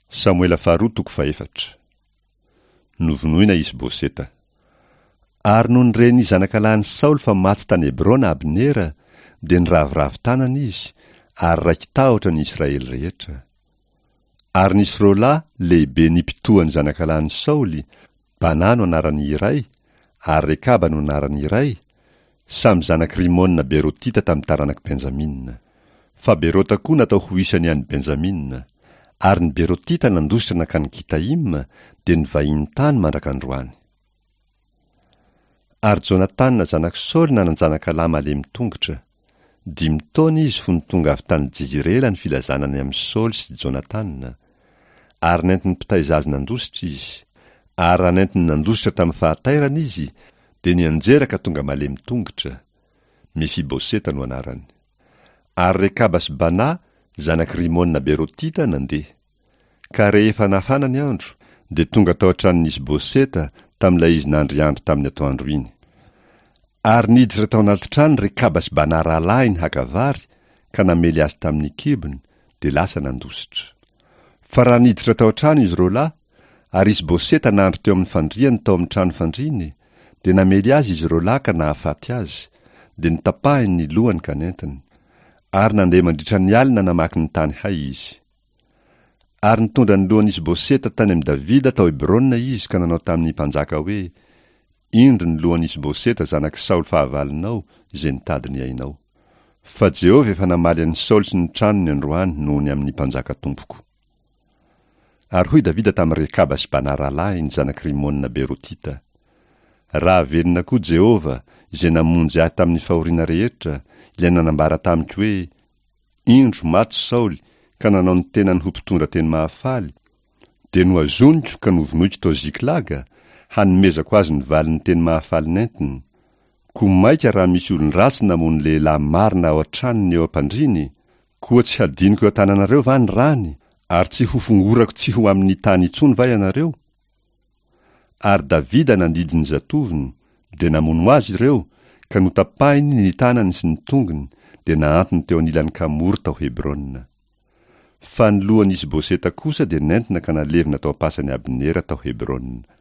Samoela faharoa toko fahefatra. Novonoina Isboseta. Ary nony ren'ny zanakalahin'i Saoly fa maty tany Hebrona Abnera, dia niraviravy tanana izy, ary raiki-tahotra ny Israely rehetra. Ary nisy roalahy lehibe nipitohan'ny zanakalahin'i Saoly, Banà no anaran'ny iray, ary Rekaba no anaran'ny iray, samy zanak'i Rimona Berotita tamin'ny taranak'i Benjamina. Fa Berota koa natao ho isan'ny an'i Benjamina. Ary ny Berotita nandositra nankany Gitaima, dia nivahiny tany mandrak'androany. Ary Jonatana zanak'i Saoly nanan-janakalahy malemy tongotra. Dimy taona izy fony tonga avy tany Jizirela ny filazana ny amin'i Saoly sy Jonatana. Ary nentin'ny mpitaiza azy nandositra izy. Ary raha nentiny nandositra tamin'ny fahatairana izy, dia nianjera ka tonga malemy tongotra. Mefiboseta no anarany. Ary Rekaba sy Bana, zanak'i Rimona Berotita, nandeha. Ka rehefa nafana ny andro, dia tonga tao an-tranon'i Isboseta tamin'ilay izy nandriandry tamin'ny atoandro iny. Ary niditra tao anaty trano Rekaba sy Bana rahalahiny haka vary, ka namely azy tamin'ny kibony, dia lasa nandositra. Fa raha niditra tao an-trano izy roalahy, ary Isboseta nandry teo amin'ny fandriany tao amin'ny trano fandriany, dia namely azy izy roalahy ka nahafaty azy, dia notapahiny ny lohany ka nentiny. Ary nandeha mandritra ny alina namaky ny tany hay izy. Ary nitondra ny lohan'i Isboseta tany amin'i Davida tao Hebrona izy ka nanao tamin'ny mpanjaka hoe, Indro ny lohan'i Isboseta zanak'i Saoly fahavalonao, izay nitady ny ainao. Fa Jehovah efa namaly an'i Saoly sy ny tranony androany noho ny amin'ny mpanjaka tompoko. Ary hoy Davida tamin'i Rekaba sy Bana rahalahiny, zanak'i Rimona Berotita, Raha velona koa Jehovah, izay namonjy ahy tamin'ny fahoriana rehetra, ilay nanambara tamiko hoe, Indro, maty Saoly, ka nanao ny tenany ho mpitondra teny mahafaly, dia nohazoniko ka novonoiko tao Ziklaga, hanomezako azy ny valin'ny teny mahafaly nentiny. Koa mainka raha misy olon-dratsy namono lehilahy marina ao an-tranony eo am-pandriany, koa tsy hadinoko eo an-tananareo va ny rany, ary tsy hofongorako tsy ho amin'ny tany intsony va ianareo? Ary Davida nandidy ny zatovony, dia namono azy ireo, ka notapahiny ny tanany sy ny tongony, dia nahantony teo anilan'ny kamory tao Hebrona. Fa ny lohan'i Isboseta kosa dia nentina ka nalevina tao am-pasan'i Abnera tao Hebrona.